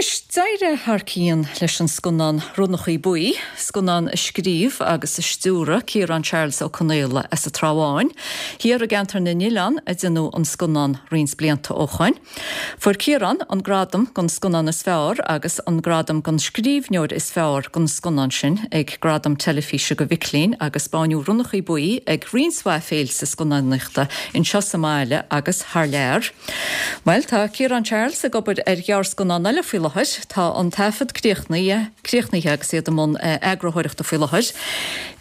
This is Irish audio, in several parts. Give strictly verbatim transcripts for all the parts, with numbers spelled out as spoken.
Anois, d'éirigh thar cionn leis an scannán Ronnachaí Buí, scannán a scríobh agus a stiúraigh Ciarán Charles Ó Conaola as an Trá Bháin, thiar i gceantar na nOileán a déanadh an scannán roinnt blianta ó shoin. Fuair Ciarán an gradam don scannán is fearr agus an gradam don scríbhneoir is fearr don scannán sin ag Gradaim Teilifíse do Mhic Léinn agus baineadh Ronnachaí Buí ag roinnt mhaith féilte scannánaíochta anseo sa mbaile agus thar lear. Well tá Ciarán Charles ag obair ar ghearrscannán eile faoi láthair, tá an taifead críochnaithe críochnaithe agus iad i mbun eagarthóireachta faoi láthair.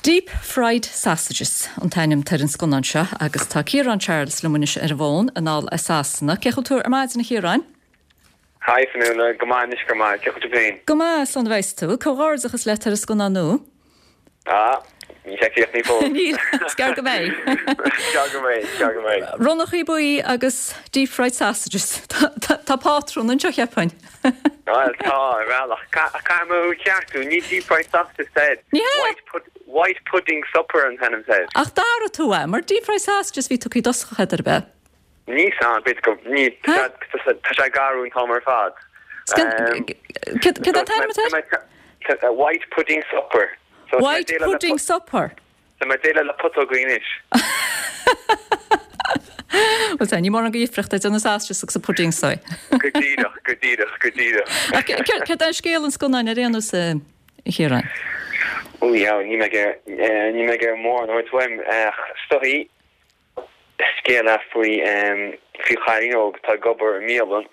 Deep Fried Sausages an t-ainm ar an scannán seo agus tá Ciarán Charles liom anois ar an bhfón anall as Sasana. Cén chaoi a bhfuil tú ar maidin a Chiaráin? Hi Fionnuala, go maith anois go maith, cén chaoi a bhfuil tú féin? Go maith slán a bheas tú, comhghairdeachas leat ar an scannán nua? Ah, níl sé críochnaithe fós. Níl, is gearr go mbeidh. Gearr go mbeidh, gearr go mbeidh. Ronnachaí Buí agus Deep Fried Sausages. Tá pátrún anseo cheapfainn. Well tá ar bhealach caithfidh mé ceartú ní Deep Fried Sausages said. Ní hea? White, pud white Pudding Supper an t-ainm said. Ach d'athraigh tú é, mar Deep Fried Sausages bhí tugtha i dtosach ar bith. Ní san bit go ní tá sé garún tá ar fad. Cad an t-ainm atá? White Pudding Supper. So White Pudding Supper. Tá mé déileáil le putógaí anois. Well tá, ní mórán de dhifríocht idir na sausages agus an pudding so. Go díreach, go díreach, go díreach. Ach céard é scéal an scannáin ar aon nós a Chiaráin? Ó yeah, ní mé ní mé mór nó tuaim stoí scéal é faoi faoi chailín óg atá ag obair i mbialann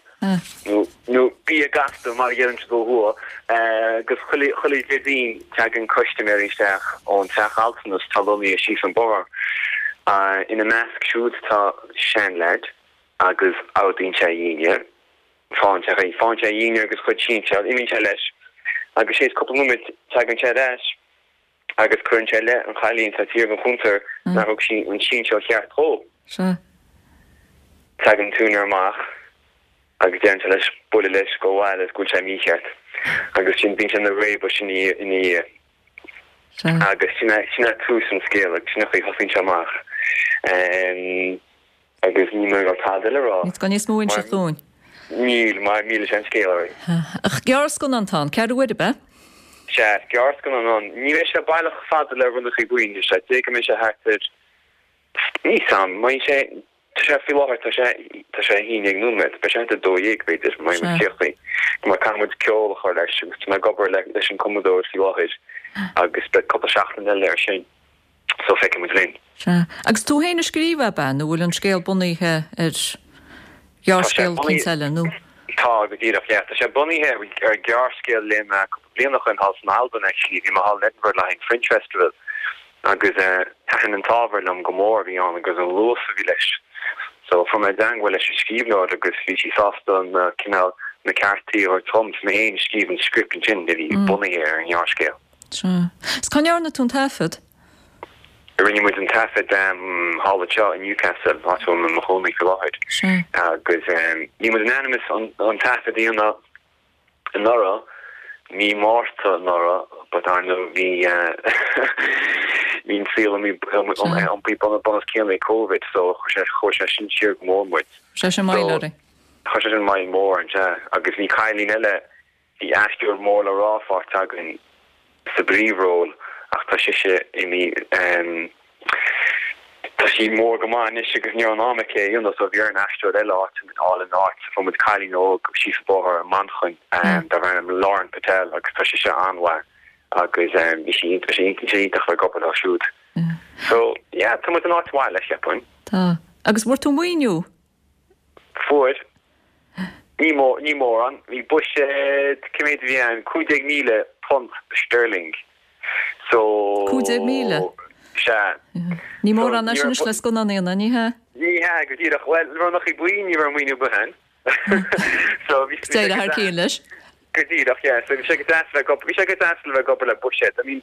nó nó bia gasta mar a deireann siad ó thuaidh agus chuile chuile Déardaoin tagann custaiméirí isteach ón teach altranais atá lonnaithe síos an bóthar. Ina measc siúd tá seanleaid agus ordaíonn sé dhinnéar, faigheann sé faigheann sé dhinnéar agus chuid sinseal, imíonn sé leis agus théis cúpla nóiméad tagann sé ar ais agus cuireann sé i leith an chailín atá thiar ag an chuntar nár thug sí an sinseal cheart dhó. Sea. Tagann an t-úinéir amach agus deireann sé leis bualadh leis go bhfuil go bhfuil sé mícheart agus sin bíonn sé ina réabadh sin ina dhiaidh. Sea. Agus sin é sin é tús an scéil agus sin an chaoi a thosaíonn sé amach. Agus níl mé ag dul tada eile a rá. Níl níos mó a inseacht dúinn. Níl, mar millfidh sé an scéal oraibh. Ach gearrscannán atá ann, ceathrú uaire, ab ea? Sea, gearrscannán ann. Ní bheidh sé baileach fada le Ronnachaí Buí, níl sé. D'fhéadfadh go mbeidh sé thart ar, níl 's a'm, mbeidh sé, tá sé faoi láthair, tá sé, tá sé a haon déag nóiméad, beidh sé thart ar dó dhéag b'fhéidir, má bhíonn muid críochnaithe. Mar caithfidh muid ceol a chur leis agus tá mé ag obair leis an cumadóir faoi láthair agus beidh cúpla seachtain eile air sin. So feicfidh muid linn. Sea. Agus tú féin a scríobh é, ab ea, nó bhfuil an scéal bunaithe ar ghearrscéal eicínt eile, nó? Tá, go díreach, yeah. Tá sé bunaithe ar ghearrscéal a léigh mé cúpla bliain ó shin thall san Albain, actually. Bhí mé thall in Edinburgh le haghaidh an Fringe Festival agus thaitin an t-ábhar liom go mór a bhí ann agus an luas a bhí leis. So fuair mé i dteangmháil leis an scríbhneoir agus bhí sí sásta na cineál na ceartaí a thabhairt dom. So mé féin a scríobh an script ansin a bhí bunaithe ar an ngearrscéal. Sea. Is cá ndearna tú an taifead? Rinne muid an taifead thall anseo i Newcastle, áit a bhfuil mé i mo chónaí faoi láthair. Sea. Agus bhí muid in ainm is an taifead a dhéanamh anuraidh, mí Márta anuraidh, but ar ndóigh bhí bhí an saol iompaithe bun os cionn ag Covid so chuir sé chuir sé sin siar go mór muid. Chuir sé sin moill oraibh. Chuir sé sin moill mhór orainn, sea. Agus bhí cailín eile Bhí aisteoir mór le rá páirteach againn sa bpríomhról ach tá sise imithe, tá sí mór go maith anois agus ní raibh an am aici é a dhéanamh so bhí orainn aisteoir eile a fháil ina áit. So fuair muid cailín óg síos an bóthar i Manchain darb ainm Lauren Patel agus tá sise an-mhaith agus bhí sí bhí sé iontach bheith ag obair leo siúd. So yeah, tá muid in áit mhaith leis cheapfainn. Tá. Agus bhfuair tú maoiniú? Fuair. Ní mór, ní mórán. Bhí buiséad, cé mhéad a bhí ann, cúig déag míle punt sterling. So. Cúig déag míle? Sea. Ní mórán é sin anois le scannán a dhéanamh, ní hea? Ní hea, go díreach. Bhuel, Ronnachaí Buí, ní raibh maoiniú ar bith ann. So bhí sé go thar cionn leis. Go díreach, yeah. So bhí sé go deas a bheith ag obair, bhí sé go deas le bheith ag obair le buiséad. I mean,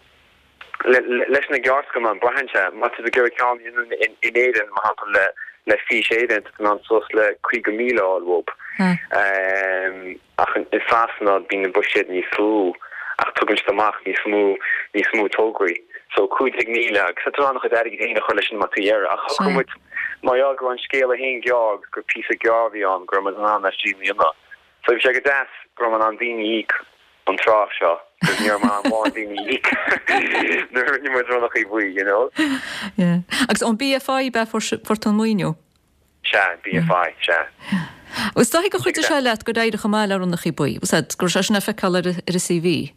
leis na gearrscannáin, braitheann sé, má tá tú ag iarraidh ceann a dhéanamh in Éirinn, mar shampla le le Fís Éireann, tá tú in ann suas le caoga míle a fháil uathu. Ach i Sasana bíonn na buiséid níos lú ach tugann siad amach níos mó níos mó tograí. So cúig déag míle agus tá tú in ann do chuid airgid féin a chur leis sin má tá tú ag iarraidh. Ach shocraigh muid, mar gheall go raibh an scéal féin gearr agus gur píosa gearr a bhí ann, go raibh muid in ann é sin a dhéanamh. So bhí sé go deas go raibh mé in ann daoine a íoc an tráth seo, cos ní raibh mé in ann mórán daoine a íoc nuair a rinne muid Ronnachaí Buí, you know. Yeah. Agus ón BFI ab ea fuair tú an maoiniú? Sea, BFI, sea. Is dóigh gur chuidigh sé leat gur éirigh chomh maith le Ronnachaí Buí, was that, go raibh sé sin le feiceáil ar ar an CV?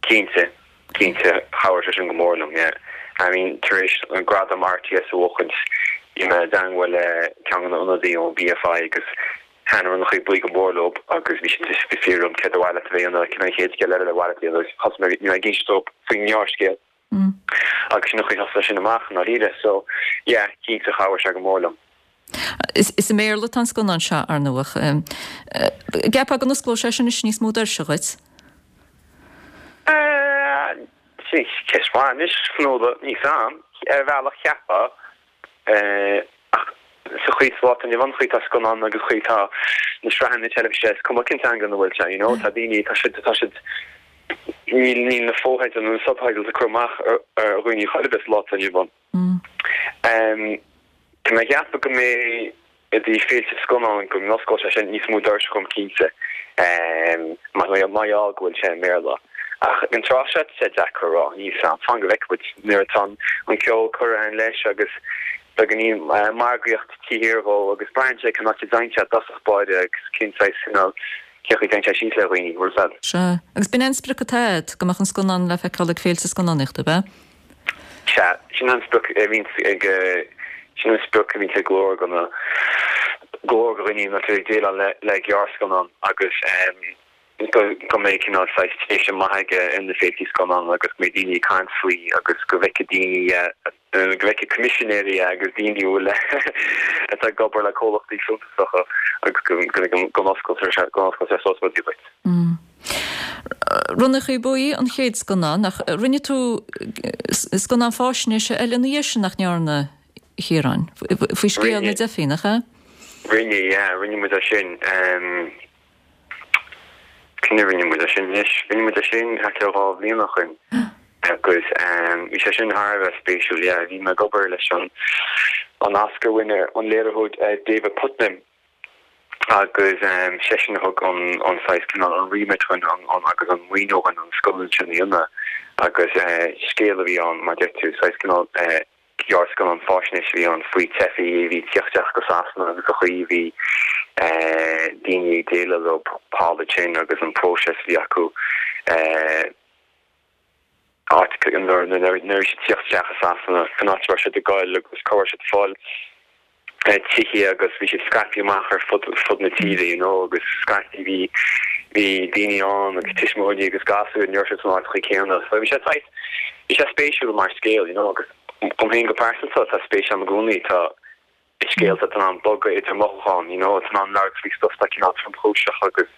Cinnte, cinnte, chabhraigh sé sin go mór liom, yeah. I mean, tar éis an gradam RTS a bhuachaint, bhí mé i dteangmháil le ceann de na ionadaí ón BFI agus thaitin Ronnachaí Buí go mór leo agus bhí siad ag fiafraí díom céard ba mhaith leat a bheith a dhéanamh, cén an chéad scéal eile ar mhaith leat a dhéanamh agus thosaigh mé, bhí mé ag inse dóibh faoin ngearrscéal agus sin an chaoi a thosaigh sin amach i ndáiríre. So, yeah, cinnte chabhraigh sé go mór liom. Is i mBéarla atá an scannán seo, ar ndóigh. Ceapfá go n-osclódh sé sin anois níos mó doirse dhuit? Sin ceist mhaith anois, Fionnuala, níl 'fhios a'm. Ar bhealach cheapfá, ach sa chaoi sa lá atá inniu ann, chaoi tá scannán agus chaoi tá na sraitheanna teilifíse, is cuma cén teanga ina bhfuil sé, you know, tá daoine, tá siad, tá siad, níl, níl na fotheidil nó na subtitles ag cur amach ar dhaoine chor ar bith sa lá atá inniu ann. Tá mé ag ceapadh go mbeidh i dtaobh féilte scannán go n-osclóidh sé sin níos mó doirse dhom cinnte, mar gheall go bhfuil sé i mBéarla. Ach ag an tráth seo tá sé deacair a rá, níl 'fhios a'm, fan go bhfeicfidh muid nuair atá an ceol curtha againn leis agus beagáinín margaíocht taobh thiar dhó agus braitheann sé cén áit a dtéann sé i dtosach báire agus cén saghas cineál, cén chaoi a dtéann sé síos le dhaoine, bhfuil 'fhios a'd. Sea. Agus b'in é an sprioc atá a'd, go mbeadh an scannán le feiceáil ag féilte scannánaíochta, ab ea? Sea, sin an sprioc a bhíonns ag, sin an sprioc a bhíonns ag go leor go na, go leor de dhaoine nuair atá ag déileáil le, le gearrscannán agus go, go mbeidh cineál saghas tréimhse maith aige ar na féiltí scannán agus go mbeidh daoine ag caint faoi agus go bhfeicfidh daoine, go bhfeicfidh coimisinéirí agus daoine a bhfuil atá ag obair le comhlachtaí suntasacha agus go, go, go n-osclóidh sé, go n-osclóidh sé suas rudaí dhuit. Ronnachaí Buí an chéad scannán, ach rinne tú scannán faisnéise eile ina dhiaidh sin, nach ndearna, a Chiaráin? Faoi scéal na dteifigh, nach ea? Rinne, yeah, rinne muid é sin. Cén uair a rinne muid é sin anois? Rinne muid é sin thart ar dhá bhliain ó shoin agus bhí sé sin thar a bheith spéisiúil, yeah. Bhí mé ag obair leis an an Oscar winner, an léiritheoir David Puttnam. agus seisean a thug an an saghas cineál an remit dhúinn an an agus an maoiniú dhúinn an scannán sin a dhéanamh agus scéal a bhí ann mar deir tú saghas cineál gearrscannán faisnéis a bhí ann faoi teifigh a bhí ag tíocht isteach go Sasana agus an chaoi a bhí daoine ag déileáil leo thall ansin agus an próiseas a bhí acu áit nuair nuair a bhí siad ag tíocht isteach i Sasana cén áit a raibh siad ag goil agus cá raibh siad ag fáil tithe agus bhí siad scaipthe amach ar fud fud na tíre you know agus scaití bhí bhí daoine ann agus tuismitheoirí agus gasúir ní raibh siad san áit chaoi céanna so bhí sé saghas bhí sé spéisiúil mar scéal you know agus dom féin go pearsanta tá spéis agam i gcónaí tá i scéalta atá in ann bogadh idir mothúcháin, you know, atá in ann labhairt faoi stuff atá cineál tromchúiseach agus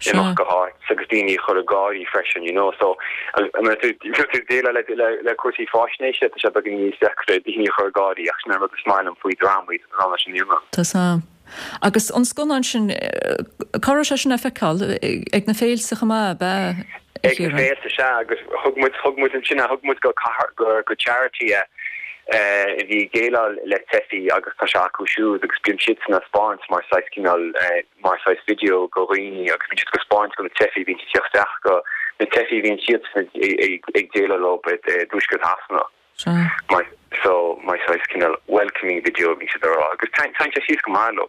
imeacht go háit agus daoine a chur ag gáirí freisin, you know, so nuair tú nuair tú ag déileáil le le le cúrsaí faisnéise tá sé beagán níos deacra daoine a chur ag gáirí ach sin an rud is maith liom faoi drámaí tá in ann é sin a dhéanamh. Tá 's Agus an scannán sin, cá raibh sé sin le feiceáil? Ag na féilte chomh maith, ab ea, a Ag na Chiaráin? féilte, sea, agus thug muid, thug muid ansin é, thug muid go cathair, go, go charity é, a bhí ag déileáil le teifigh agus tá sé acu siúd agus bíonn siadsan á 'spáint mar saghas cineál, mar saghas video go dhaoine agus bíonn siad á 'spáint go na teifigh a bhíonn ag tíocht isteach go na teifigh a bhíonn siadsan ag, ag déileáil leo i dtuaisceart Shasana. Sea. Mar, so, mar saghas cineál welcoming video a bhíonn siad a rá agus téann sé síos go maith leo.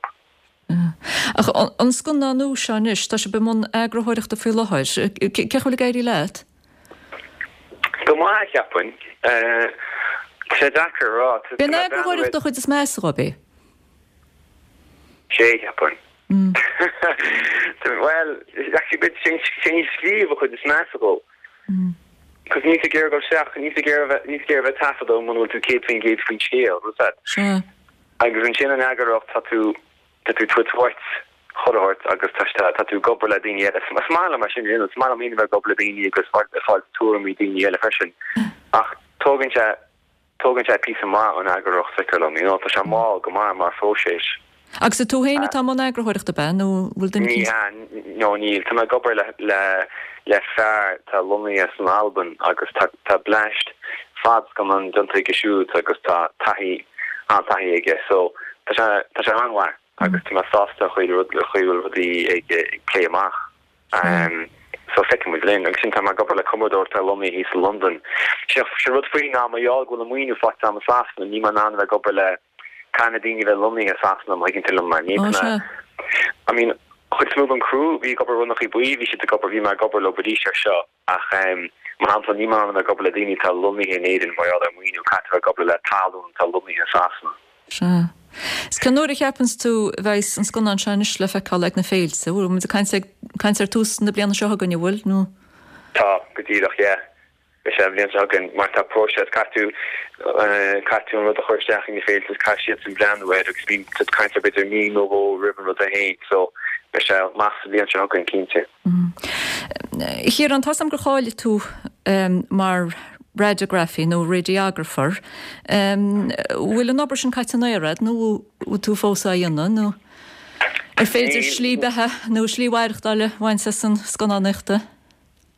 Ach an scannán nua seo anois, tá sibh i mbun eagarthóireachta faoi láthair. Cén chaoi a bhfuil ag éirí leat? Go maith, cheapfainn. Tá sé deacair a rá. B'é an eagarthóireacht an chuid is measa dhó, ab é? Sé, cheapfainn. Bhuel, actually, b'fhéidir sé an scríobh an chuid is measa dhó. Cos níl tú ag iarraidh dul isteach, níl tú ag iarraidh bheith, níl tú ag iarraidh bheith ag taifeadadh muna bhfuil tú céad faoin gcéad faoin scéal, bhfuil 's a'd. Sea. Agus ansin an eagarthóireacht, tá tú, tá tú ag tabhairt uait chuile shórt agus tá, tá tú ag obair le daoine eile. Is maith liom é sin a dhéanamh, is maith liom féin a bheith ag obair le daoine agus ag fáil tuairimí daoine eile freisin. Ach tógann sé, tógann sé píosa maith an eagarthóireacht, feictear liom, you know, tá sé mall go maith mar phróiseas. Agus is tú féin atá i mbun eagarthóireachta, ab ea, nó bhfuil duine Ní hea, no níl. Tá mé ag obair le, le, le fear atá lonnaithe san Albain agus tá, tá bleaist fadscannán déanta aige siúd agus tá taithí, an-taithí aige so tá sé, tá sé an-mhaith. agus tá mé sásta chuid rud le chuid rudaí ag ag plé amach. Um, so feicfidh muid linn agus sin tá mé ag obair le cumadóir atá lonnaithe thíos i Londain. Sé sé rud faoi ná mar gheall go bhfuil an maoiniú faighte agam i Sasana níl mé in ann bheith ag obair le kind of daoine a bheith lonnaithe i Sasana má thuigeann tú liom mar ní Ó, sea. I mean chuid is mó den crew bhí ag obair Ronnachaí Buí bhí siad ag obair bhí mé ag obair leo arís ar seo ach um, mar shampla níl mé in ann bheith ag obair le daoine atá lonnaithe in Éirinn mar gheall ar maoiniú caithfidh bheith ag obair le talún atá lonnaithe i Sasana. Sea. Is cén uair a cheapann tú bheidh an scannán seo anois le feiceáil ag na féilte, bhfuil muid ag caint ag caint ar tús na bliana seo chugainn bhfuil nó Tá go díreach yeah. Beidh sé an bhliain seo chugainn mar tá próiseas caithfidh tú eh, caithfidh tú an rud a chur isteach ina féilte caithfidh siad sin breathnú air agus bíonn tú caint ar b'fhéidir mí nó dhó roimh an rud a haon so beidh sé amach sa bhliain seo chugainn cinnte. Chiaráin tá am gur cháiligh tú um, mar radiografaí nó radiographer. Um, bhfuil an obair sin caite in aer nó bhfuil tú fós á dhéanamh nó ar féidir Níl- slí beatha nó slí mhaireachtála a bhaint as an scannánaíocht?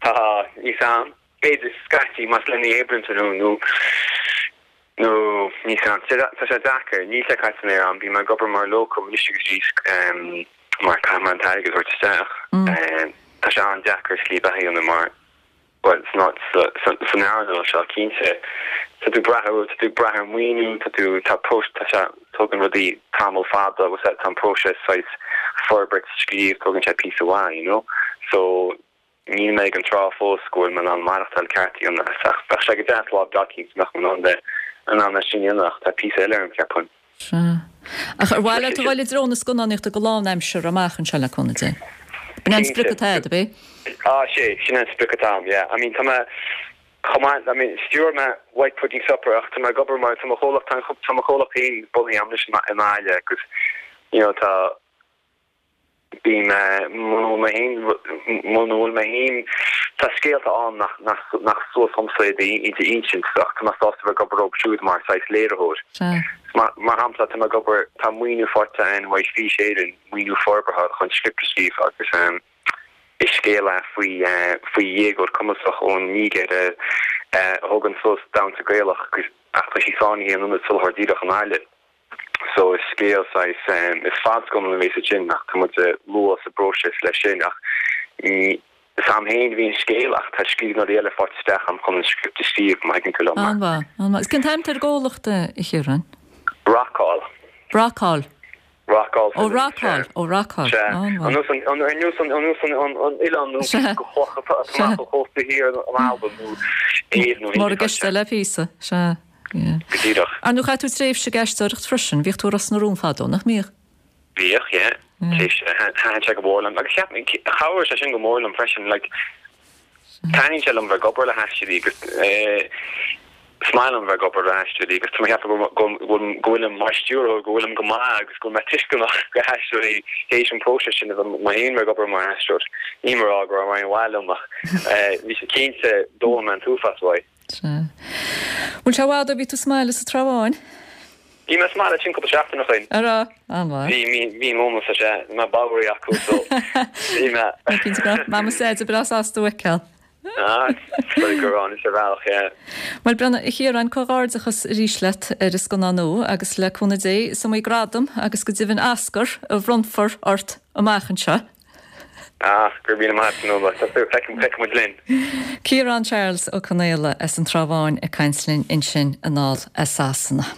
Tá ní sam b'fhéidir scaití más lena oibreann nó nó nó ní sam tá sé deacair níl sé caite in aer agam bím ag obair mar locum anois agus arís um, mar caithfidh mé an t-airgead a thabhairt isteach. Um, Tá sé an-deacair slí beatha a dhéanamh mar well it's not san earnáil seo cinnte tá tú brath tá tú brath ar maoiniú tá tú tá post tá sé tógann rudaí tamall fada agus tá an próiseas saghas forbairt scríobh tógann sé píosa mhaith you know so níl mé ag an tráth fós go bhfuil mé in ann maireachtáil ceart a dhéanamh bheadh sé go deas lá dá nach an an an an sin dhéanach tá píosa eile an ceapaim. Sea. Ach ar mhaith leat a dhul i dtreo na scannánaíochta go lánaimseartha amach anseo le cúnamh Dé. B'in an sprioc atá agat, ab é? Ah sé sin an sprioc atá agam, yeah. I mean tá mé chomh maith I mean stiúir mé White Pudding Supper ach tá mé ag obair mar tá mo chomhlacht tá mo chomhlacht féin bunaithe agam anois i mbaile agus you know tá bí mé mé féin bhfuil mé féin tá scéalta ann nach nach nach suas liomsa iad a insint ach tá mé sásta bheith ag obair leo siúd mar saghas léiritheoir. Sea. Mar mar shampla tá mé ag obair tá maoiniú faighte agam ó Fís Éireann maoiniú forbartha chun script a scríobh agus um, is scéal é faoi uh, faoi dhéagóir cumasach ón Nígéir uh, uh, a thugann suas damhsa Gaelach agus ach tá sí sáinnithe in ionad soláthar díreach i nGaillimh. So is scéal saghas um, is fadscannán a bheas sin ach tá muid luath sa bpróiseas leis sin ach ní is agam féin bhí an scéal ach tá scríbhneoirí eile faighte isteach agam chun an script a scríobh má thuigeann tú liom mar. An-mhaith, an-mhaith. Is cén t-ainm ar an gcomhlacht a Chiaráin? Rockall. Rockall. Rockall. Ó Rockall, ó Rockall. An nós an an nós an nós an an oileán nó Sea. go chloch amach ó chósta thiar an Albain nó Éirinn nó Mar giste le píosa, sea. Yeah. Go díreach. Ar ndóigh chaith tú tréimhse ag aisteoireacht freisin, bhíodh tú i Ros na Rún fadó, nach mbíodh? Bhíodh, yeah. Thaitin sé go mór liom agus cheap chabhraigh sé sin go mór liom freisin like taitníonn sé liom bheith ag obair le haisteoirí agus eh, is maith liom bheith ag obair le haisteoirí agus tá mé ceapadh go go go bhfuilim mar stiúrthóir go bhfuilim go maith agus go bhfuil mé tuisceanach go haisteoirí théis an próiseas sin a bheith mé féin ag obair mar aisteoir. Ní mar go raibh aon mhaith liom ach eh, bhí sé cinnte d'fhoghlaim mé an t-uafás uaidh. Sea. Bhfuil sé i bhfad ó bhí tú sa mbaile sa Trá Bháin? Bhí mé sa mbaile sin cúpla seachtain ó shin. Ará, an-mhaith. Bhí mí mí móna sa sé má báirí acu so bhí mé Mama said breá sásta a fheiceáil. Ah, go an is bhealach, yeah. Well Brenna a Chiaráin comhghairdeachas arís leat ar an scannán nua agus le cúnamh Dé is iomaí gradam agus go deimhin Oscar a bhronnfar ort amach anseo. Ah, gur bí maith nó feicfidh muid linn. Ciarán Charles Ó Conaola as an Trá Bháin ag caint linn ansin anall as Sasana.